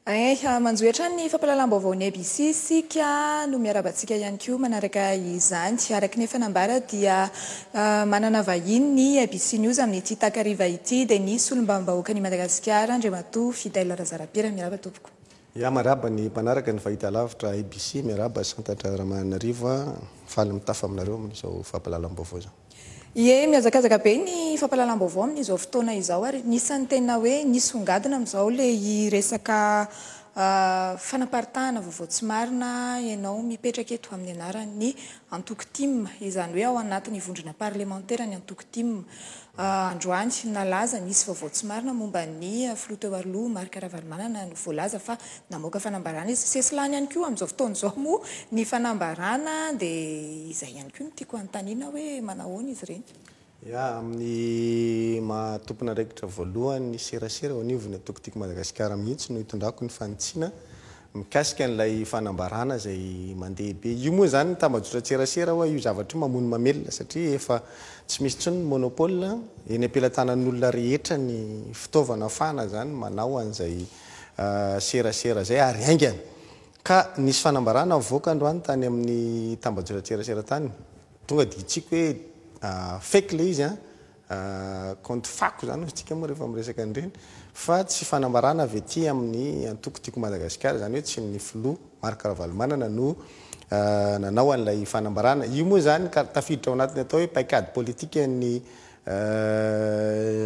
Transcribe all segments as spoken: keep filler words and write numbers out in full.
Eh, manjohy hatrany ny fampahalalam-baovao ny A B C sika no miarahaba antsika ihany koa manaraka izany. Araka ny efa nambara dia ah, manana vahiny ny A B C News amin'ity takariva ity, dia ny solombavambahoaka ny Madagasikara, Andriamatoa Fidèle Razarapiera. Miarahaba tompoko. Ya, miarahaba ny mpanaraka ny fahita lavitra A B C, miarahaba Santatra Ramanarivo, faly mitafa aminareo amin'izao fampahalalam-baovao zao. Ie, mihazakazaka be ny fampahalalam-baovao amin'izao fotoana izao, ary nisan'ny tena hoe nisongadina amin'izao le resaka ah, fanaparitahana vaovao tsy marina. Ianao mipetraka eto amin'ny anaran'ny antoko TIM, izany hoe ao anatin'ny vondrona parlemantera ny antoko TIM. Ah, androany nalaza nisy vaovao tsy marina momba ny filoha teo aloha Marc Ravalomanana, no voalaza fa namoaka fanambarana izy. Sesilany ihany koa amin'izao fotoana izao moa ny fanambarana, dia izay ihany koa no tiako anontaniana hoe manahoana izy ireny? Ya, amin'ny maha tompon'andraikitra voalohany ny serasera eo anivon'ny antoko Tiako Madagasikara mihitsy no hitondrako ny fanitsiana mikasika an'ilay fanambarana izay mandeha be io. Moa zany tambajotra-tserasera hoa io zavatra io mamono mamelona, satria efa tsy misy intsony ny monopole, eny am-pelatanan'olona rehetra ny fitaovana ahafahana zany manao an'izay ah, serasera zay ary haingana. Ka nisy fanambarana mivoaka androany tany amin'ny tambajotra-tserasera tany, tonga de hitsiko hoe ah, fake le izy a, ah, compte fako zany tsika moa rehefa miresaka an'ireny, fa tsy fanambarana avy aty amin'ny antoko Tiako Madagasikara, zany hoe tsy ny filoha Marc Ravalomanana no ah, nanao an'ilay fanambarana io. Moa zany ka tafiditra ao anatiny atao hoe paikady politika ny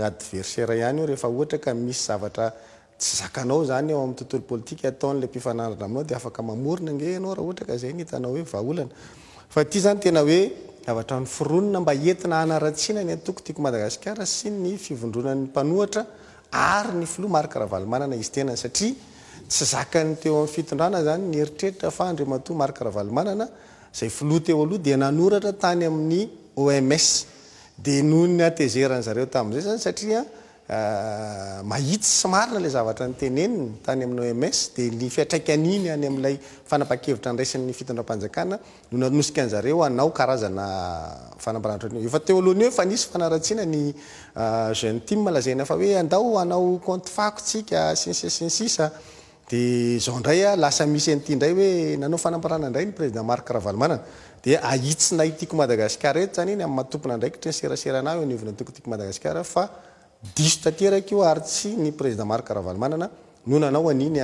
adversaire ihany io. Rehefa ohatra ka misy zavatra tsy zakanao zany eo amin'ny tontolo politika ataon'le mpifanandrina aminao, dia afaka mamorona nge ianao raha ohatra ka zay ny hitanao hoe vahaolana. Fa ty zany tena hoe zavatra noforonina mba entina hanaratsiana ny antoko Tiako Madagasikara sy ny fivondronan'ny mpanohitra ary ny filoha Marc Ravalomanana izy tenany, satria tsy zakany teo amin'ny fitondrana zany ny eritreritra fa Andriamatoa Marc Ravalomanana zay filoha teo aloha dia nanoratra tany amin'ny O M S. Dia noho ny hatezeran zareo tamin'izay zany, satria euh, mahitsy sy marina le zavatra nyteneniny tany amin'ny O M S, dia ny fiantraikan'iny any amin'ilay fanapa-kevitra ndraisin'ny fitondram-panjakana no nanosika an'zareo anao karazana fanambarana. Efa teo alohany eo fa nisy fanaratsiana ny euh, jeune TIM, lazaina fa hoe andao anao compte fako tsika sy ny sisa sy ny sisa. Dia zao indray a lasa misy an'ity indray hoe nanao fanambarana indray ny président Marc Ravalomanana. Dia ahitsinay Tiako Madagasikara eto zany iny amin'ny maha tompon'andraikitra ny serasera eo anivon'ny antoko Tiako Madagasikara fa diso tanteraka io, ary tsy ny président Marc Ravalomanana no nanao an'iny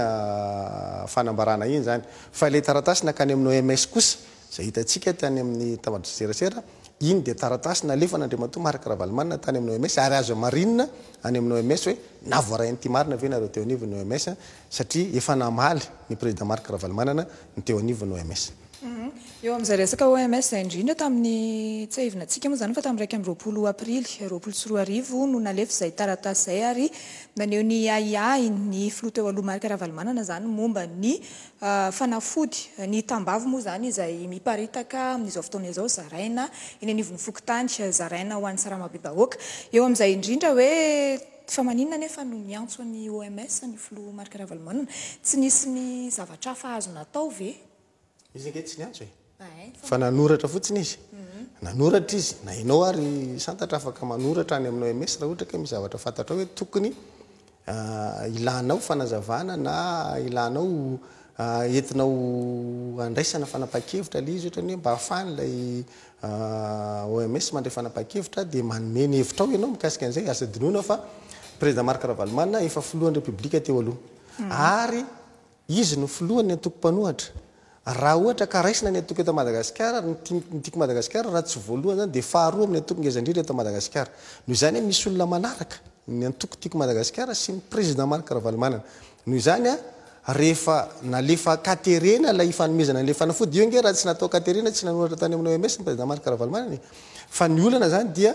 fanambarana iny zany. Fa ilay taratasy nakany amin'ny O M S kosa zay hitantsika tany amin'ny tambajotra-serasera iny, dia taratasy nalefan'Andriamatoa Marc Ravalomanana tany amin'ny O M S, ary azo marinina any amin'ny O M S hoe navoarain'ity marina ve nareo teo anivon'ny O M S, satria efa namaly ny président Marc Ravalomanana ny teo anivon'ny O M S. Mhm. Eo amin'izay resaka O M S zay indrindra, tamin'ny tsiahivina antsika moa zany fa tamin'ny raika amby roapolo aprily roapolo sy roa arivo no nalefa izay taratasy izay, ary naneho ny ahiahy ny filoha teo aloha Marc Ravalomanana zany momba ny ah, fanafody ny tambavy moa zany izay miparitaka amin'izao fotoana izao, zaraina eny anivon'ny fokontany, zaraina ho an'ny sarambabem-bahoaka. Eo amin'izay indrindra hoe fa maninona nefa no niantso ny O M S ny filoha Marc Ravalomanana? Tsy nisy ny zavatra hafa azo natao ve? Izy ange tsy niantso e, fa nanoratra fotsiny izy. Nanoratra izy na ianao ary Santatra afaka manoratra any amin'ny O M S raha ohatra ka misy zavatra fantatra hoe tokony ah, ilanao fanazavana na ilanao ah, entinao andraisana fanapa-kevitra le izy, ohatrany hoe mba ahafahany ilay ah, O M S mandray fanapa-kevitra, dia manome ny hevitra ao ianao mikasika an'izay. Aza adinoina fa président Marc Ravalomanana efa filohan'ny Repoblika teo aloha, ary izy no filohan'ny antoko mpanohitra. Raha ohatra ka raisina ny antoko eto Madagasikara, ny Tiako Madagasikara raha tsy voalohany zany dia faharoa amin'ny antoko ngeza indrindra eto Madagasikara. Noho izany a misy olona manaraka ny antoko Tiako Madagasikara sy ny président Marc Ravalomanana. Noho izany a rehefa nalefa katerena lay fanomezana an'le fanafody io nge, raha tsy natao katerena, tsy nanoratra tany amin'ny O M S ny président Marc Ravalomanana. Fa ny olana zany dia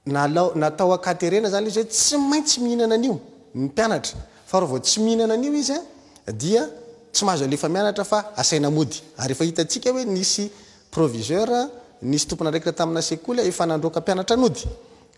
nalao natao akaterena zany izy hoe tsy maintsy mihinana an'io ny mpianatra, fa raha vao tsy mihinana an'io izy a dia tsy mahazo alefa mianatra fa asaina mody. Ary efa hitantsika hoe nisy proviseur, nisy tompon'andraikitra tamina sekoly efa nandroaka mpianatra nody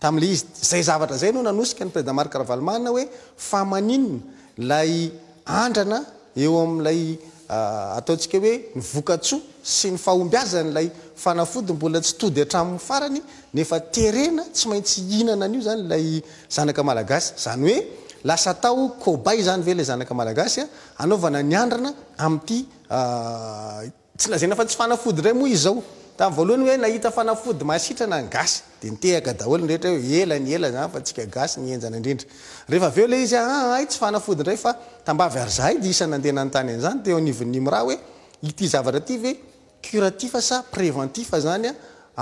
tam'le izy zay. Zavatra zay no nanosika ny président Marc Ravalomanana hoe fa maninona lay andrana eo amin'ilay ataontsika hoe ny vokatsoa sy ny fahombiazany lay fanafody mbola tsy tody hatramin'ny farany, nefa terena tsy maintsy hihinana an'io zany lay zanaka malagasy? Zany hoe lasa atao cobaye zany ve le zanaka malagasy a anaovana ny andrana amin'ity, tsy lazaina fa tsy fanafody indray moa izy zao. Tamin'ny voalohany hoe nahita fanafody mahasitrana ny gasy, dia nitehaka daholo ny rehetra hoe ela ny ela zany fa tsika gasy ny enjana indrindra. Rehefa avy eo le izy a ay tsy fanafody indray fa tambavy, ary zahay dia isan'ny nandeha nanontany an'izany teo anivon'ny IMRA hoe ity zavatra ity ve curatif sa préventif zany a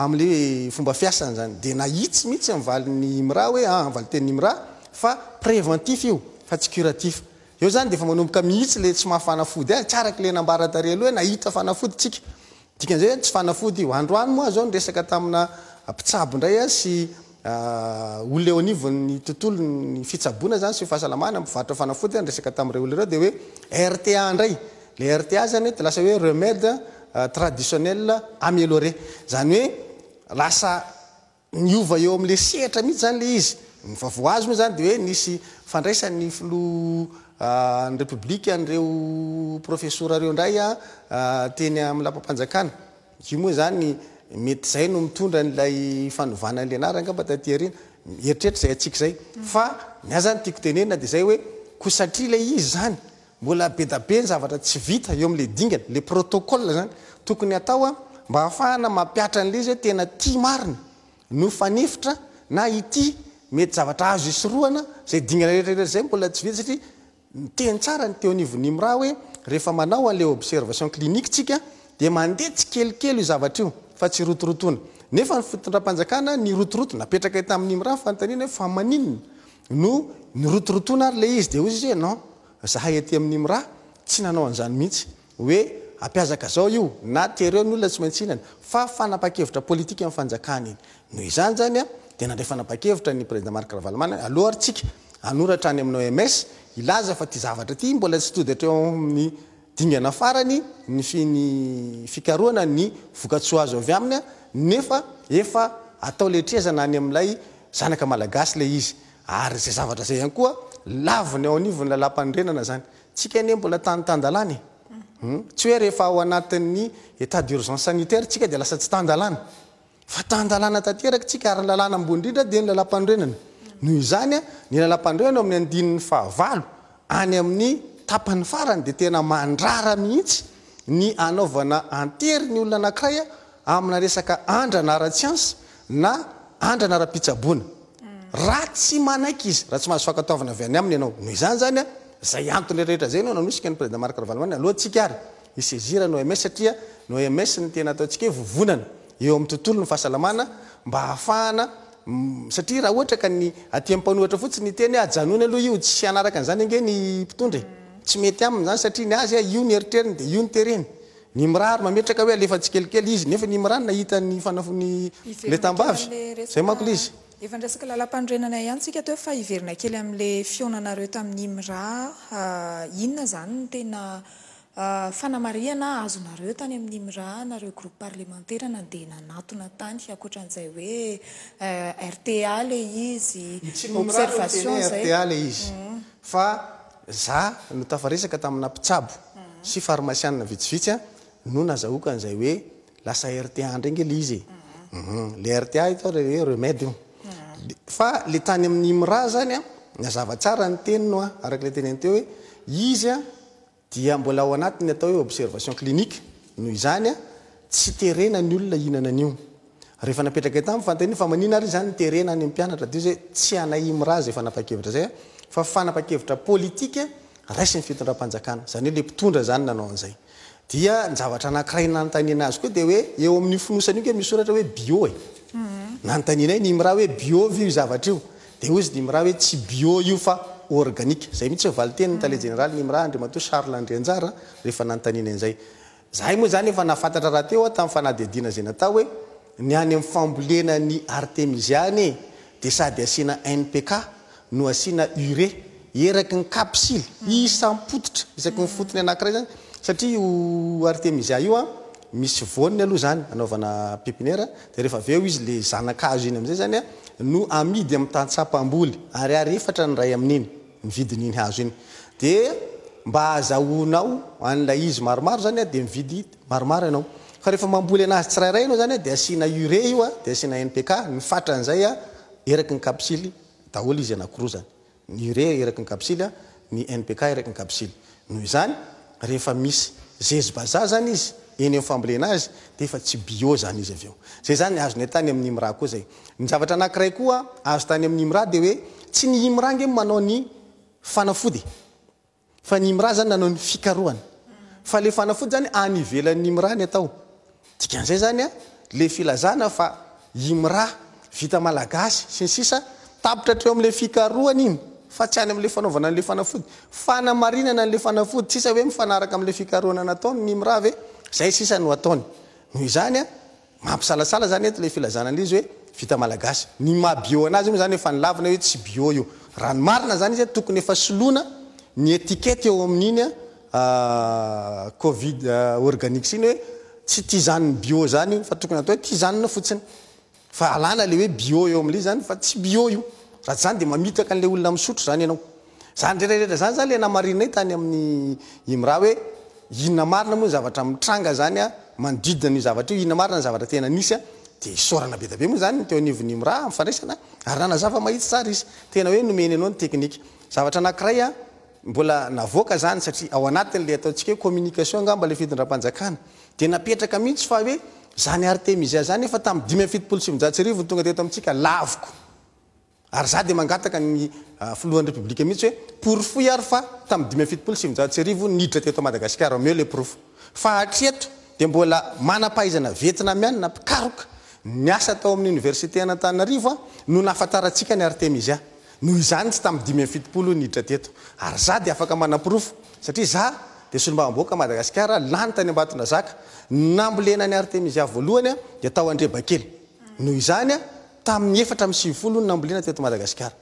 amin'le fomba fiasany zany. Dia nahitsy mihitsy ny valin'ny IMRA hoe ah valitenin'ny IMRA fa préventif io fa tsy curatif. Eo zany dia efa manomboka mihitsy le tsy mahafanafody azy, tsy araka le nambara tary aloha hoe nahita fanafody tsika, dikan'izay tsy fanafody io. Androany moa zao niresaka tamina mpitsabo indray a sy olona eo anivon'ny tontolo ny fitsaboana zany sy fahasalamana, mpivarotra fanafody, niresaka tamin'ireo olona ireo dia hoe R T A indray le R T A zany hoe de lasa hoe remède traditionnel amélioré zany, hoe lasa niova eo amin'le sehatra mihitsy zany le izy. Ny vaovao azy moa zany de hoe nisy fandraisan'ny filoha ny république an'ireo professeur reo indray a teny amin'ny lapam-panjakana io moa zany. Mety zay no mitondra n'ilay fanovana an'le anarana angamba taty aoriana, eritreritra zay atsika zay. Fa ny azy zany tiako tenenina de zay hoe ko satria le izy zany mbola be da be ny zavatra tsy vita eo amin'le dingana, le protocole zany tokony atao a mba ahafahana mampiatra an'le izy hoe tena tia marina no fanefitra na ity mety zavatra azo isoroana zay dingana rehetrarehetra zay mbola tsy vita. Satria miteny tsara ny teo anivon'ny IMRA hoe rehefa manao an'le observation clinique tsika dia mandeha tsy kelikely io zavatra io fa tsy rotorotona, nefa ny fitondram-panjakana ny rotoroto napetraka tamin'ny IMRA fanontaniana hoe fa maninona no ny rotorotona ary le izy. De ozy izy hoe non, zahay aty amin'ny IMRA tsy nanao an'izany mihitsy hoe ampiazaka zao io na tereo ny olona tsy maintsy hinana, fa fanapa-kevitra politika amin'ny fanjakana iny. Noho izany zany a de nandray fanapa-kevitra ny président Marc Ravalomanana aloha ary tsika anoratra any amin'ny O M S ilaza fa ty zavatra ty mbola tsy tody hatreo amin'ny dingana farany ny finy fikaroana ny vokatsoa azo avy aminy a nefa efa atao letrezana any amin'ilay zanaka malagasy le izy. Ary zay zavatra zay ihany koa laviny ao anivony lalam-panorenana zany. Tsika anie mbola tany tan-dalàna e hmm? Tsy hoe rehefa ao anatin'ny état d'urgence sanitaire tsika de lasa tsy tan-dalàna, fa tan-dalàna tanteraka tsika, ary ny lalàna ambony indrindra de ny lalam-panorenana. Noho izany a ny lalam-panorenana amin'ny andininy fahavalo any amin'ny tapany farany de tena mandrara mihitsy ny anaovana antery ny olona anankiray a amina resaka andrana ara-tsiansa na andrana ara-pitsaboana raha tsy manaiky izy, raha tsy mahazo fankatoavana avy any aminy ianao. Noho izany zany a zay antony rehetra zay no nanosika ny président Marc Ravalomanana aloha tsika ary i-saisir ny O M S, satria ny O M S ny tena ataontsika hoe vovonana eo amin'ny tontolo ny fahasalamana mba ahafahana, satria raha ohatra ka ny aty mpanohitra fotsiny ny teny hoe ajanony aloha io, tsy anaraka an'izany ange ny mpitondra e, tsy mety aminy zany, satria ny azy a io ny eritreriny de io ny tereny. Ny mirary mametraka hoe alefa tsikelikely izy, nefa ny mirary nahita ny fanafony le tambavy zay manko le izy. Efa nresaka lalam-panorenana ihany tsika teo, fa hiverina kely amin'le fihaonanareo tamin'ny IMRA. Inona zany ny tena fanamarihana azonareo tany amin'ny IMRA, nareo groupe parlementaire nandeha nanatona tany, ankoatran'izay hoe R T A le izy, observation zay? R T A le izy, fa za no tafaresaka tamina mpitsabo sy farmasianina vitsivitsy a no nazahoaka an'izay hoe lasa R T A ndray nge le izy e. Le R T A ito le hoe remède io, fa le tany amin'ny IMRA zany a nazava tsara ny tenino a araka le teneny teo hoe izy a dia mbola ao anatiny atao hoe observation clinique. Noho izany a tsy terena ny olona hihinana an'io. Rehefa napetraka tamy fanontaniana fa manina ary zany terena any mpianatra, de zay tsy anay IMRA zay fanapa-kevitra zay a fa fanapa-kevitra politika raisy ny fitondram-panjakana zany, hoe le mpitondra zany nanao an'izay. Dia ny zavatra anankiray nanontaniana azy koa de hoe eo amin'ny fonosana io ke misoratra hoe bio e, nanontaniana ny IMRA hoe bio vi io zavatra io, de ozy ny IMRA hoe tsy bio io fa organique. Zay mihitsy valiteny ny tale général ny IMRA, Andriamatoa Charles Andrianjara, rehefa nanontaniana an'izay. Zahay moa zany efa nahafantatra raha teo a tamin'ny fanadihadiana zay natao hoe ny any amin'ny fambolena ny artemisia any e de sady asiana N P K no asiana urée eraky ny kapsily isam-pototra, isaky ny fotony anankiray zany, satria io artemisia io a misy voaniny aloha zany anaovana pépinière, de rehefa avy eo izy le zanakazo iny amizay zany a no amidy amin'ny tantsapamboly ary ary efatra ny ray amin'iny ny vidin'iny hazo iny. De mba azahoanao an'ilay izy maromaro zany a de mividy maromaro ianao, fa rehefa mamboly anazy tsirairay anao zany a de asiana urée io a de asiana N P K ny fatran'izay a eraky ny kapsily daholo izy anakiroa zany. Ny urée eraky ny kapsily, ny N P K eraky ny kapsily. Noho izany, rehefa misy zezi-bazaha zany izy eny amin'ny fambolena azy, dia efa tsy bio zany izy avy eo. Zay zany azonay tany amin'ny IMRA koa zay. Ny zavatra anankiray koa azo tany amin'ny IMRA dia hoe tsy ny IMRA nge manao ny fanafody, fa ny IMRA zany nanao ny fikarohana, fa le fanafody zany any ivelan'ny IMRA ny atao. Dikan'izay zany a, le filazana fa IMRA vita malagasy sy ny sisa, tapitra hatreo amin'le fikarohana iny, fa tsy any amin'le fanaovana an'le fanafody, fanamarinana an'le fanafody. Tsisa hoe mifanaraka amin'le fikarohana nataony ny IMRA ve zay sisa no ataony. Noho izany a, mampisalasala zany eto le filazana an'izy hoe vita malagasy. Ny maha bio anazy moa zany efa nilavina hoe tsy bio io. Raha ny marina zany izy, tokony efa soloana ny étiquette eo amin'iny a Covid Organics iny, hoe tsy tisane bio zany io, fa tokony atao hoe tisane fotsiny, fa alana le hoe bio eo amin'le zany, fa tsy bio io. Raha tsy zany de mamitaka an'le olona misotro zany ianao. Zany rehetrarehetra zany zany le namarinay tany amin'ny IMRA, hoe inona marina moa zavatra mitranga zany a manodidina ny zavatra io, inona marina ny zavatra tena nisy a. De isaorana be da be moa zany teo anivon'ny IMRA amin'ny fandraisana, ary nanazava mahitsy tsara izy, tena hoe nomeny anao ny teknika. Zavatra anankiray a mbola navoaka zany, satria ao anatin'le ataontsika hoe communication angamba le fitondram-panjakana, de napetraka mihitsy fa hoe zany artemisia zany efa tamin'ny dimy amby fitopolo sivinjato sy arivo ny tonga teto amintsika. Laviko, ary za de mangataka ny filohan'ny Repoblika mihitsy hoe porofoy ary fa tamin'ny dimy amby fitopolo sivinjato sy arivo niditra teto Madagasikara, omeo le porofo. Fa hatreto de mbola manam-pahaizana vietnamianina mpikaroka ny asa tao amin'ny université Antananarivo a no nahafantarantsika ny artemisia. Noho izany, tsy tamin'ny dimy amby fitopolo niditra teto, ary za de afaka manaporofo, satria za de solombavambahoaka Madagasikara lany tany Ambatondrazaka. Nambolena ny artemisia voalohany a de tao Andrebakely. Noho izany a, tamin'ny efatra amby sivifolo no nambolena teto Madagasikara.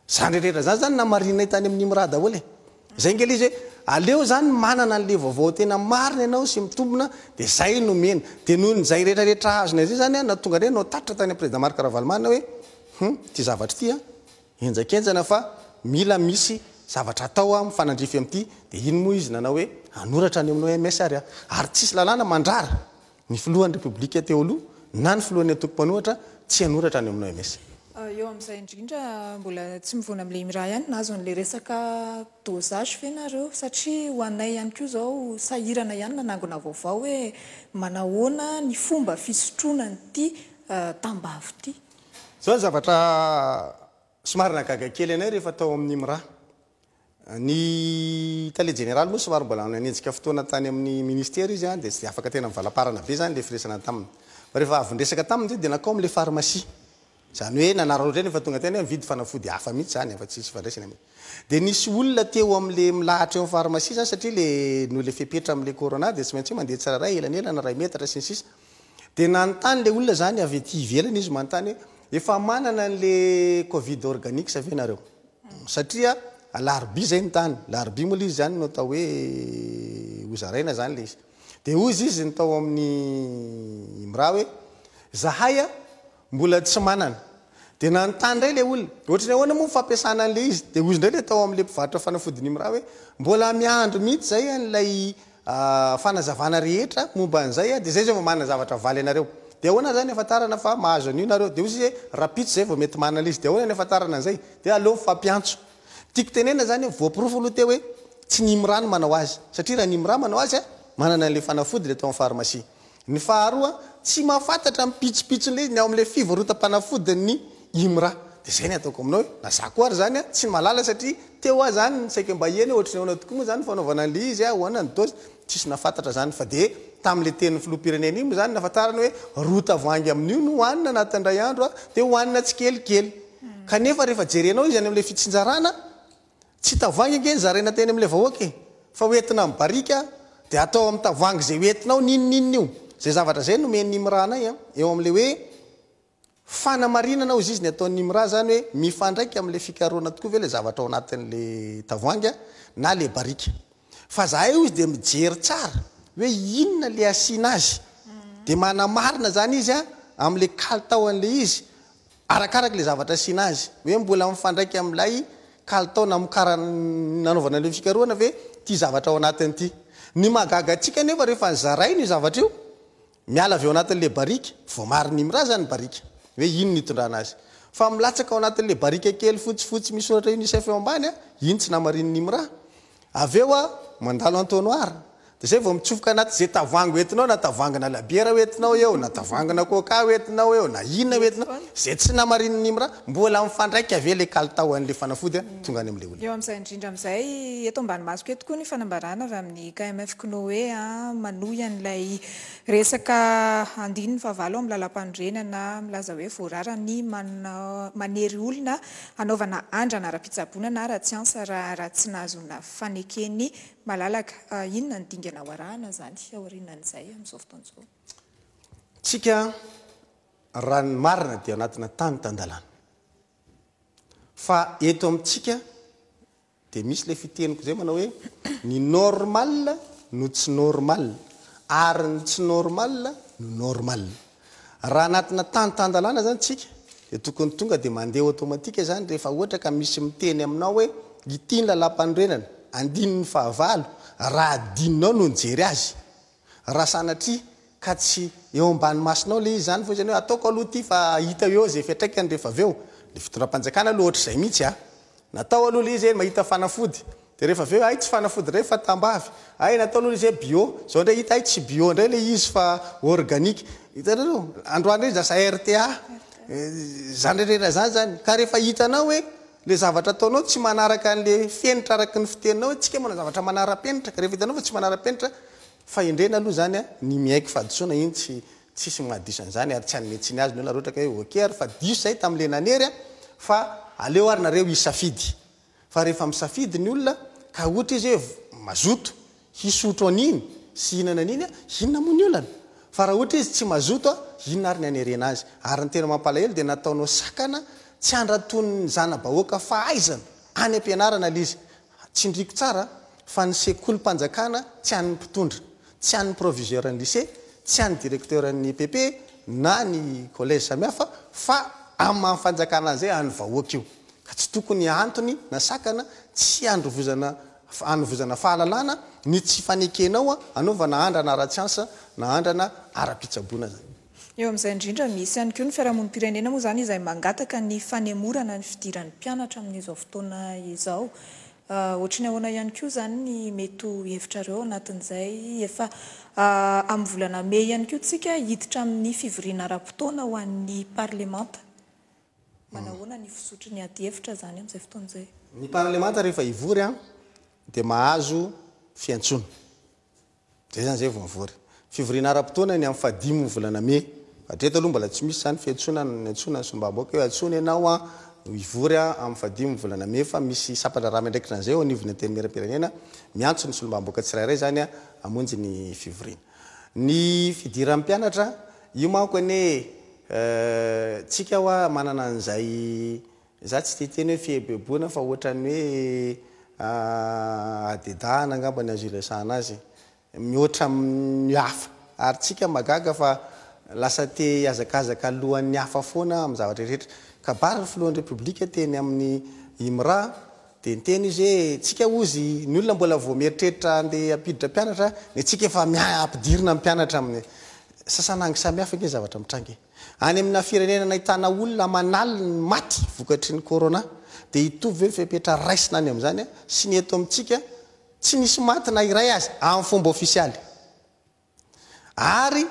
Zany rehetrarehetra zany zany namarinay tany amin'ny IMRA daholo e. Zay ngely izy hoe aleo zany manana an'le vaovao tena marina ianao sy mitombona, de zay no mena. De noho nyzay rehetrarehetra azonay zay zany a, na tonga ndray nao tatitra tany président Marc Ravalomanana hoe hum ty zavatra ty a enjakenjana, fa mila misy zavatra atao a mifanandrify am'ity. De iny moa izy nanao hoe anoratra any amin'ny O M S, ary a ary tsisy lalàna mandrara ny filohan'ny Repoblika teo aloha na ny filohan'ny antoko mpanohitra tsy anoratra any amin'ny O M S. Eo amin'izay indrindra, mbola tsy mivoana amin'le IMRA ihany, nahazo an'le resaka dosage ve nareo? Satria ho anay ihany koa zao sahirana ihany nanangona vaovao hoe manahoana ny fomba fisotroana nyity tambavy ity. Zao ny zavatra somary nagaga kely anay rehefa tao amin'ny IMRA. Ny tale jeneraly moa somary mbola nanenjika fotoana tany amin'ny ministère izy a, de tsy de afaka tena mivalaparana be zany le firesana taminy. Fa rehefa avy ndresaka taminy zay, de nakao am'le pharmacie zany, hoe nanararaotra reny efa tonga teny hoe mividy fanafody hafa mihitsy zany, efa tsisy fandraisany amy. De nisy olona teo am'le milahatra eo amin'ny pharmacie zany, satria le noho le fepetra am'le corona, de tsy maintsy hoe mandeha tsiraray elanelana ray metatra sy ny sisa. De nanontany le olona zany avy aty ivelany izy, manontany hoe efa manana an'le Covid Organique ve nareo? Satria alarobia zay ny tany, larobia moa le izy zany no atao hoe hozaraina zany le izy. De ozy izy ny tao amin'ny IMRA hoe zahay a mbola tsy manana. De nanontany ndray le olona ohatrany ahoana moa fampiasana an'le izy. De ozy ndray le tao am'le mpivarotra fanafodiny IMRA hoe mbola miandro mihitsy zay an'lay fanazavana rehetra momba an'izay a, de zay zay vao manana zavatra valy anareo. De ahoana zany afantarana fa mahazo an'io nareo? De ozy izy hoe rapitso zay vao mety manana izy. De ahoana ny afantarana an'izay? De aleo mifampiantso. Tiako tenena zany hoe voaporofo aloha teo hoe tsy ny IMRA no manao azy, satria raha ny IMRA manao azy a, manana an'le fanafody le tao amin'ny pharmacie. Ny faharoa, tsy mahafantatra mipitsopitson'le izy ny ao am'le fivarotam-panafodiny IMRA. De zay ny ataoko aminao hoe na za koa ary zany a tsy malala, satria teo a zany saika mba eny ohatry ny ahoana tokoa moa zany fanaovana an'le izy a, hoana ny dose, tsisy nafantatra zany. Fa de tam'le tenin'ny filoham-pirenena iny moa zany nafantarana hoe roa tavoahangy amin'io no hohanina anatin'ray andro a, de hohanina tsikelikely. Kanefa rehefa jerenao izy any am'le fitsinjarana, tsy tavoahangy ange ny zaraina teny am'le vahoaka e, fa hoentina amin'ny barika, de atao amin'ny tavoahangy zay hoentinao ninoninona io. Zay zavatra zay nomen'ny IMRA anay a eo am'le hoe fanamarinana ozy izy ny ataon'ny IMRA zany, hoe mifandraika am'le fikaroana tokoa ve le zavatra ao anatin'le tavoahangy a na le barika. Fa zahay io izy de mijery tsara hoe inona le asiana azy, de manamarina zany izy a am'le kalitao an'le izy, arakaraka le zavatra asiana azy, hoe mbola mifandraika am'ilay kalitao namokara nanaovana le fikaroana ve ty zavatra ao anatin'ity. Ny mahagaga atsika nefa, rehefa nyzaraina io zavatra io, miala avy eo anatin'le barika, voamariny IMRA zany barika hoe ino ny hitondrana azy. Fa milatsaka ao anatin'le barika kely fotsifotsy misy soratra UNICEF eo ambany a, iny tsy namarinin'ny IMRA. Avy eo a, mandalo entonnoir. Dia zay vao mitsofoka anaty zay tavoahangy hoentinao, na tavoahangina labiera hoentinao eo, na tavoahangina coca hoentinao eo, na inona hoentinao, zay tsy namarinin'ny IMRA, mbola mifandraika ve le kalitao an'le fanafody a, tonga any amin'le olona. Eo amin'izay indrindra amin'izay, eto ambany masoko eto koa ny fanambarana avy amin'ny K M F C N O E a, manohy an'ilay resaka andininy fahavalo amin'ny lalam-panorenana milaza hoe voarara ny mana-, manery olona hanaovana andrana ara-pitsaboana na ara-tsiansa raha, raha tsy nahazoana fanekeny malalaka. Ah, inona ny dingana ho arahana izany aorianan'izay amin'izao fotoana izao? Tsika raha ny marina dia anatina tany tan-dalàna. Fa eto amintsika dia misy ilay fiteniko izay manao hoe ny normal no tsy normal ary ny tsy normal no normal. Raha anatina tany tan-dalàna izany tsika dia tokony tonga dia mandeha automatique izany rehefa ohatra ka misy miteny aminao hoe ity ny lalam-panorenana andininy fahavalo, raha adinonao no nijery azy. Raha sanatria ka tsy eo ambany masonao ilay izy izany fa izany hoe ataoko aloha ity fa hita eo izay fiantraikany rehefa avy eo. Ilay fitondram-panjakana aloha ohatr'izay mihitsy a. Natao aloha ilay izy hoe mahita fanafody. Dia rehefa avy eo, ay tsy fanafody indray fa tambavy. Ay natao aloha ilay izy hoe bio. Izao indray hita, ay tsy bio indray ilay izy fa organique. Hitanareo, androany indray lasa R T A. Izany rehetra izany zany. Ka rehefa hitanao hoe le zavatra ataonao tsy manaraka an'le fenitra araka ny fiteninao hoe tsika manao zavatra manara-penitra, ka rehefa hitanao fa tsy manara-penitra, fahendrena aloha zany a, ny miaiky fahadisoana iny tsy, tsisy mahadiso an'izany ary tsy hanome tsiny azy ny olona raha ohatra ka hoe ok ary fa diso zay tamin'le nanery a, fa aleo ary nareo hisafidy. Fa rehefa misafidy ny olona ka ohatra izy hoe mazoto hisotro an'iny sy hihinana an'iny a, inona moa ny olana? Fa raha ohatra izy tsy mazoto a, inona ary ny hanerena azy? Ary ny tena mampalahelo dia nataonao sakana tsy handraton'ny zana-bahoaka fahaizana any am-pianarana ilay izy. Tsindriko tsara fa ny sekolim-panjakana tsy an'ny mpitondra, tsy an'ny proviseur ny lycée, tsy an'ny directeur ny E P P na ny collège samihafa, fa amin'ny maha fanjakana an'izay an'ny vahoaka io. Ka tsy tokony antony na sakana tsy handrovozana, hanovozana fahalalana ny tsy fanekenao a, hanaovana andrana ara-tsiansa na andrana ara-pitsaboana zany. Eo amin'izay indrindra misy ihany koa ny fiarahamonim-pirenena moa izany izay mangataka ny fanemorana ny fidiran'ny mpianatra amin'izao fotoana izao. Ah, ohatry ny ahoana ihany koa izany ny mety ho hevitrareo anatin'izay efa, ah, amin'ny volana mey ihany koa tsika hiditra amin'ny fivoriana ara-potoana ho an'ny parlemanta. Manahoana ny fizotry ny ady hevitra izany amin'izay fotoana izay? Ny parlemanta rehefa hivory a, dia mahazo fiantsoana. Zay izany zay vao mivory. Fivoriana ara-potoana ny amin'ny fahadimy volana mey. Hatreto aloha mbola tsy misy izany fiantsoana ny antsoina ny solombavambahoaka hoe antsoina ianao a, hivory a amin'ny fahadimy volana mey, fa misy sampan-draharaha miandraikitra an'izay eo anivon'ny antenimieram-pirenena miantso ny solombavambahoaka tsirairay izany a hamonjy ny fivoriana. Ny fidiran'ny mpianatra io manko anie, eh, tsika hoa manana an'izay, za tsy te hiteny hoe fihebeboana fa ohatran'ny hoe, ah, adedahana angamba ny azo iresahana azy mihoatra amin'ny hafa. Ary tsika mahagaga fa lasa te hihazakazaka alohan'ny hafa foana amin'ny zavatra rehetra. Kabary ny filohan'ny Repoblika teny amin'ny IMRA dia niteny izy hoe tsika ozy ny olona mbola vao mieritreritra andeha hampiditra mpianatra, ny tsika efa mia-, ampidirina mpianatra amin'ny sasanangy samihafa ange zavatra mitranga e. Any amina firenena nahitana olona aman'aliny ny maty vokatry ny corona dia hitovy ve ny fepetra raisina any amin'izany a, sy ny eto amintsika tsy nisy maty na iray azy amin'ny fomba ofisialy. Ary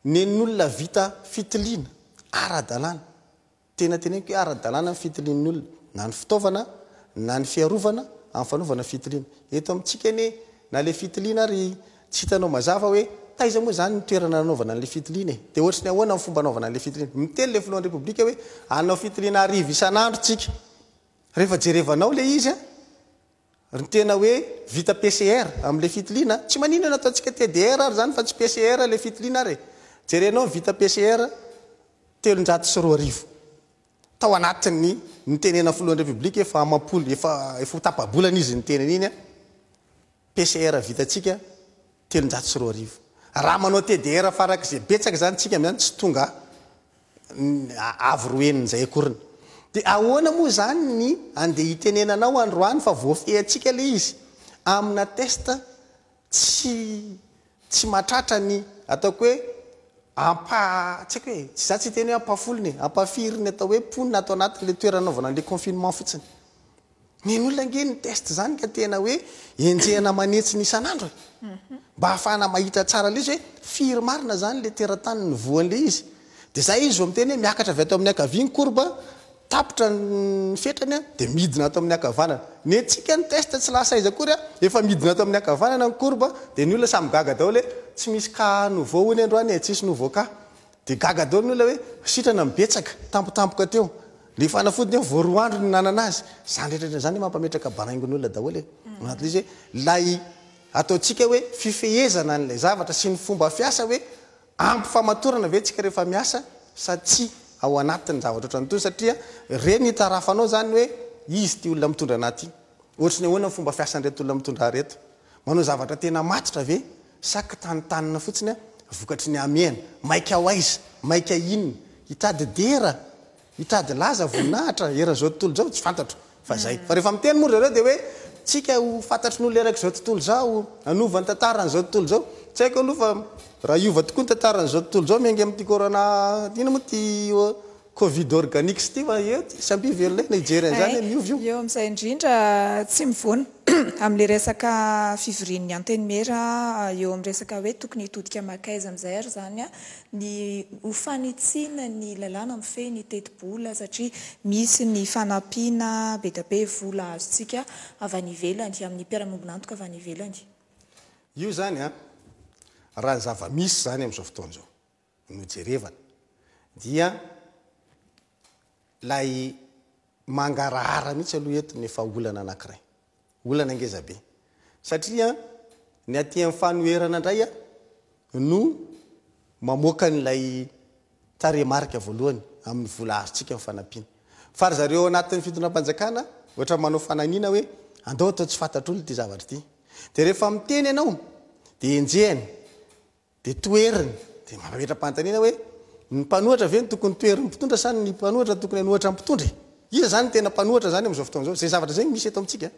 nen'olona vita fitiliana ara-dalàna, tena teneniko hoe ara-dalàna ny fitilian'ny olona, na ny fitaovana na ny fiarovana amin'ny fanaovana fitiliana. Eto amintsika anie na le fitiliana ary tsy hitanao mazava hoe taiza moa zany ny toerana nanaovana an'le fitiliana e. Dia ohatry ny ahoana ny fomba anaovana an'le fitiliana. Miteny le filohan'ny Repoblika hoe hanao fitiliana arivo isan'andro tsika. Rehefa jerevanao le izy a, ny tena hoe vita P C R amin'le fitiliana, tsy maninona ataontsika T D R ary zany fa tsy P C R le fitiliana ary e. Jerenao ny vita P C R telonjato sy roa arivo. Tao anatin'ny nitenena filohan'ny Repoblika efa amam-polo, efa, efa ho tapa-bolana izy niteny an'iny a. P C R vitatsika telonjato sy roa arivo. Raha manao T D R farak'izay betsaka zany tsika amin'izany tsy tonga avo roa henin'izay akoriny. Dia ahoana moa zany ny andeha hitenenanao androany fa voafehintsika le izy amina test tsy, tsy mahatratra ny ataoko hoe Ampa tsy haiko hoe, tsy za tsy hiteny hoe ampahafolony e, ampahafiriny atao hoe mponina ato anatin'ilay toerana anaovana an'ilay confinement fotsiny. Ny an'olona ange ny test izany ka tena hoe enjehina manetsina isan'andro e. Mba ahafahana mahita tsara ilay izy hoe firy marina izany ilay teratany nivoan'ilay izy. Dia izay izy vao miteny hoe miakatra avy ato amin'ny ankavia ny courbe, tapitra ny fetrany dia midina ato amin'ny ankavanana. Ny antsika ny test tsy lasa aiza akory, efa midina ato amin'ny ankavanana ny courbe, dia ny olona samy gaga daholo hoe tsy misy cas nouveau hono androany e, tsisy nouveau cas. Dia gaga daholo ny olona hoe sitrana ny betsaka, tampotampoka teo. Ilay fanafody nefa vao roa andro no nanana azy. Izany rehetra rehetra izany mampametraka baraingo ny olona daholo e. Anatin'ilay izy hoe ilay ataontsika hoe fifehezana an'ilay zavatra sy ny fomba fiasa hoe ampy famatorana ve tsika rehefa miasa sa tsia ao anatin'ny zavatra ohatran'itony, satria ireny hitarafanao izany hoe izy ity olona mitondra anah ity, ohatry ny ahoana ny fomba fiasan'ireto olona mitondra ahy ireto, manao zavatra tena matotra ve sa kitantanina fotsiny vokatry ny hamehana, maika ho aiza, maika inona, hitady dera, hitady laza, voninahitra eran'izao tontolo izao, tsy fantatro fa zay. Fa rehefa miteny moa ry zareo dia hoe tsika ho fantatry ny olona erak'izao tontolo izao, hanova ny tantaran'izao tontolo izao. Tsy haiko aloha fa raha hiova tokoa ny tantaran'izao tontolo izao miainga amin'ity corona, inona moa ity covid organique ity, fa eo ty samby velona eo na hijery an'izany hoe miova io. Eo amin'izay indrindra tsy mivoana amin'ilay resaka fivorian'ny antenimiera eo amin'ny resaka hoe tokony hitodika makaiza amin'izay ary izany ny ho fanitsiana ny lalàna mifehy ny tetibola, satria misy ny fanampiana be dia be vola azontsika avy any ivelany, amin'ny mpiara-miombon'antoka avy any ivelany. Io izany an, raha ny zava-misy izany amin'izao fotoana izao no jerevana dia ilay mangarahara mihitsy aloha eto ny efa olana anankiray. Olana ngeza be. Satria ny aty amin'ny fanoherana indray no mamoaka an'ilay tarehimarika voalohany amin'ny vola azontsika amin'ny fanampiana. Fa ry zareo ao anatin'ny fitondram-panjakana ohatra manao fananiana hoe andao atao tsy fantatr'olona ity zavatra ity. Dia rehefa miteny ianao dia enjehiny, dia toheriny, dia mametra-panontaniana hoe ny mpanohatra ve no tokony toherin'ny mpitondra sa ny mpanohatra no tokony hanohatra ny mpitondra e? Iza izany no tena mpanohatra izany amin'izao fotoana izao? Izay zavatra izay no misy eto amintsika.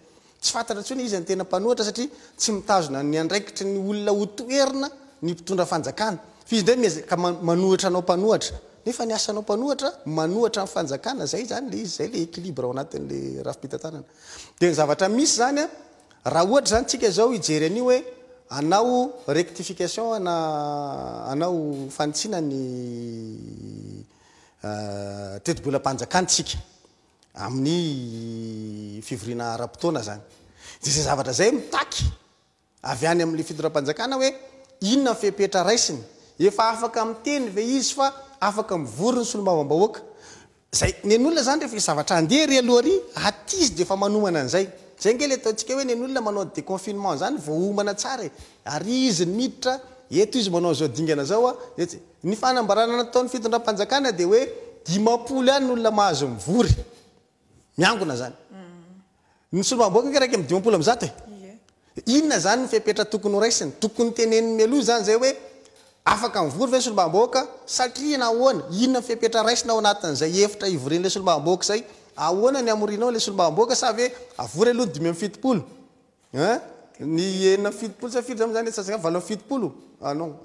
Tsy fantatra intsony iza no tena mpanohatra satria tsy mitazona ny andraikitry ny olona ho toherina ny mpitondra fanjakana. Fa izy indray miezaka manohitra anao mpanohatra. Nefa ny asanao mpanohatra, manohatra ny fanjakana, izay izany ilay izy, izay ilay équilibre ao anatin'ilay rafi-pitantanana. Dia ny zavatra misy izany an, raha ohatra izany tsika izao hijery an'io hoe hanao rectification na hanao fanitsiana ny tetibolam-panjakana tsika amin'ny fivoriana ara-potoana izany. Dia izay zavatra izay mitaky avy any amin'ilay fitondram-panjakana hoe inona ny fepetra raisiny. Efa afaka miteny ve izy fa afaka mivory ny solombavambahoaka. Izay nen'olona izany rehefa hisy zavatra handeha ery aloha ery, aty izy dia efa manomana an'izay. Izay ange ilay ataontsika hoe nen'olona manao déconfinement izany voaomana tsara e. Ary izy ny miditra, eto izy manao an'izao dingana izao a. Etsy. Ny fanambarana nataon'ny fitondram-panjakana dia hoe dimampolo ihany ny olona mahazo mivory. Miangona izany. Ny solombavambahoaka ange iraika amby dimampolo amby zato e. Inona izany ny fepetra tokony ho raisiny? Tokony teneniny mialoha izany izay hoe afaka mivory ve ny solombavambahoaka satria nahoana? Inona ny fepetra raisina ao anatin'izay efitra ivorian'ilay solombavambahoaka izay? Ahoana ny hamorianao ilay solombavambahoaka sa ve avory aloha ny dimy amby fitopolo? Hein? Ny enina amby fitopolo sa firy izany izany? Valo amby fitopolo? Ah non,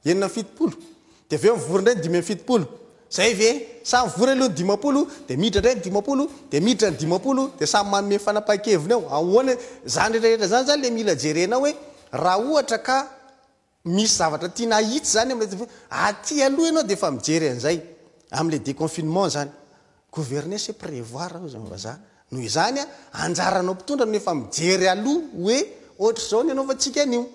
enina amby fitopolo. Dia avy eo mivory indray ny dimy amby fitopolo. Zay ve? Sa mivory aloha ny dimampolo, dia miditra indray ny dimampolo, dia miditra ny dimampolo, dia samy manome ny fanapahan-keviny ao. Ahoana? Izany rehetra rehetra izany izany ilay mila jerena hoe raha ohatra ka misy zavatra tiana ahitsy izany amin'ilay, aty aloha ianao dia efa mijery an'izay, amin'ilay déconfinement izany. Gouverner c'est prévoir hoy izany vazaha. Noho izany, anjaranao mpitondra no efa mijery aloha hoe ohatr'izao ny anaovantsika an'io.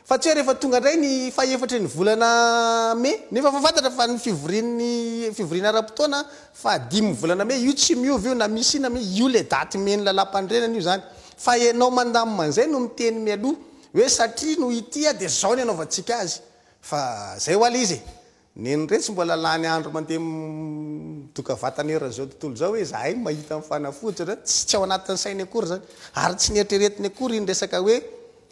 Fa tsy hoe rehefa tonga indray ny fahefatry ny volana mey, nefa efa fantatra fa ny fivorian'ny fivoriana ara-potoana fahadimin'ny volana mey, io tsy miova io na misy inona na io ilay daty omen'ny lalàmpanorenana io izany. Fa ianao mandamina an'izay no miteny mialoha hoe satria noho ity dia izao ny anaovantsika azy. Fa izay ho'a ilay izy e. Neny retsy mbola lany andro mandeha midoka vatana eran'izao tontolo izao hoe zahay mahita ny fanafody satria tsy tsy ao anatin'ny sainy akory izany ary tsy neritreretiny akory iny resaka hoe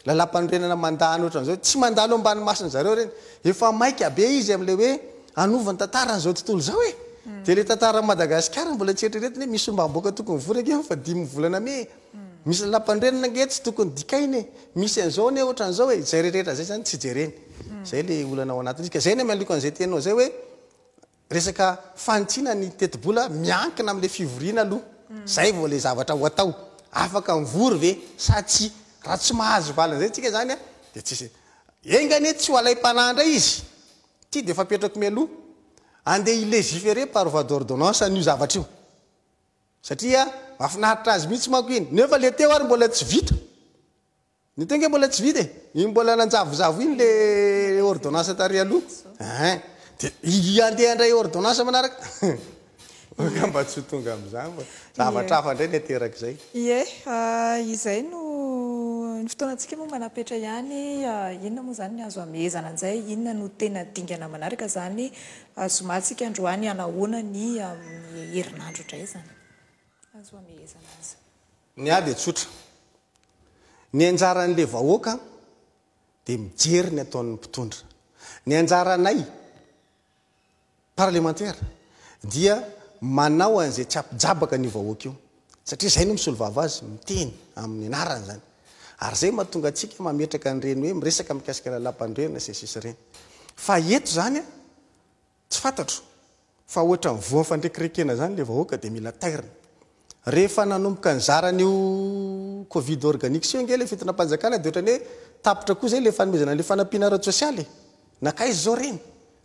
lalàmpanorenana mandany ohatran'izao, tsy mandalo ambany masony zareo ireny, efa maika be izy amin'ilay hoe hanova ny tantaran'izao tontolo izao e! Dia ilay tantaran'i Madagasikara mbola tsy eritreretiny hoe misy solombavambahoaka tokony hivory ange fa dimy volana mey e! Misy lalàmpanorenana ange tsy tokony dikaina e! Misy an'izao anie ohatran'izao e! Izay rehetra izay izany tsy jereny. Zay le olana ao anatin'izy. Ka zay ny amialiko an'izay teninao zay hoe resaka fanitsiana ny tetibola miankina amin'le fivoriana aloha. Zay vao le zavatra ho atao. Afaka mivory ve sa tsy? Raha tsy mahazo valiny zay tsika zany a, de tsisy. Enga anie tsy ho alaim-panahy indray izy. Ty de efa apetrako mialoha. Andeha hi-légiférer par voie d'ordonnance an'io zavatra io. Satria mahafinaritra azy mihitsy manko iny. Nefa le teo ary mbola tsy vita. Ny teo nge mbola tsy vita e. Iny mbola nanjavozavo iny le ordonnance tary aloha. Hein. De andeha indray ordonnance manaraka. Angamba tsy ho tonga amin'izany fa zavatra hafa indray ny aterak'izay. Ie, izay no ny fotoanantsika moa manapetra ihany. Inona moa zany ny azo amehezana an'izay? Inona no tena dingana manaraka zany? Zoma tsika androany, anahoana ny amin'ny herinandro indray zany azo amehezana azy? Ny ahy dia tsotra. Ny anjaran'le vahoaka dia mijery ny ataon'ny mpitondra. Ny anjaranay parlementaire dia manao an'izay tsy ampijabaka ny vahoaka io. Satria zay no misolo vava azy, miteny amin'ny anarany zany. Ary zay mahatonga antsika mametraka an'ireny hoe miresaka mikasika lalàm-panorenana sy ny sisa ireny. Fa eto zany a, tsy fantatro fa ohatra ny voan'ny fandrekirekena zany le vahoaka dia mila tairina. Rehefa nanomboka nizarana io Covid organique io nge le fitondram-panjakana dia ohatrany hoe tapitra koa zay le fanomezana le fanampiana ara-tsosialy. Nakaiza zao reny?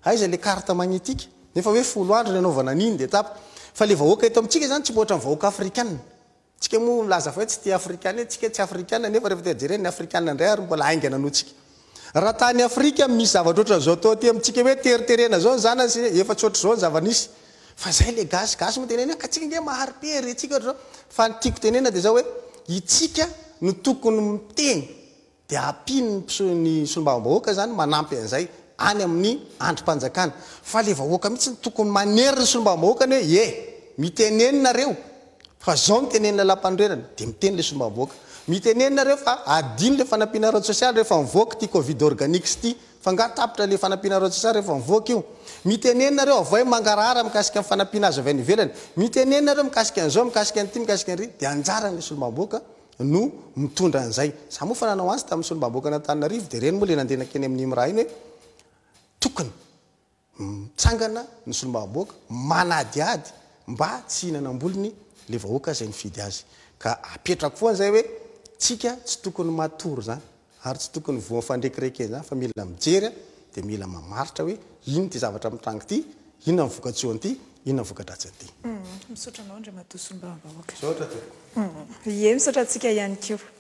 Aiza le carte magnétique? Nefa hoe folo andro ny anaovana an'iny dia tapitra. Fa le vahoaka eto amintsika zany tsy mihoatra ny vahoaka afrikanina. Tsika moa milaza fa hoe tsy tia afrikana, tsika tsy afrikana, nefa rehefa tia jerena ny afrikana indray ary mbola haingana noho tsika. Raha tany Afrika misy zavatra ohatran'izao atao aty amintsika hoe teriterena zao ny zanany sy efa tsy ohatr'izao ny zava-nisy. Fa zay le gasy, gasy moa tenena ka tsika nge mahari-pery tsika ohatr'izao. Fa ny tiako tenena dia zao hoe itsika no tokony miteny dia ampiny ny solombavambahoaka zany manampy an'izay any amin'ny andrim-panjakana. Fa le vahoaka mihitsy no tokony manery ny solombavambahoaka ny hoe e miteneny nareo fa zao miteneny lalàm-panorenana dia miteny le solombavambahoaka. Miteneny nareo fa adino le fanampiana ara-tsosialy rehefa mivoaka ty Covid organique ty, fa nga tapitra le fanampiana ara-tsosialy rehefa mivoaka io. Miteneny nareo avoay mangarahara mikasika ny fanampiana azo avy any ivelany. Miteneny nareo mikasika an'izao, mikasika an'ity, mikasika an'ry, dia anjaran'le solombavambahoaka no mitondra an'izay. Za moa fa nanao azy tamin'ny solombavambahoaka an'Antananarivo dia reny moa le nandeha nakeny amin'ny raha iny hoe tokony mitsangana ny solombavambahoaka manadiady mba tsy hihinana am-bolony le vahoaka izay nifidy azy. Ka apetrako foana zay hoe tsika tsy tokony matory zany ary tsy tokony voan'ny fandrekirekena zany fa mila mijery dia mila mamaritra hoe ino ty zavatra mitranga ity, inona ny vokatsoan'ity, inona ny voka-dratsy an'ity. Misaotra anao Andriamatoa solombavambahoaka. Misaotra tompoko. Ie, misaotra antsika ihany koa.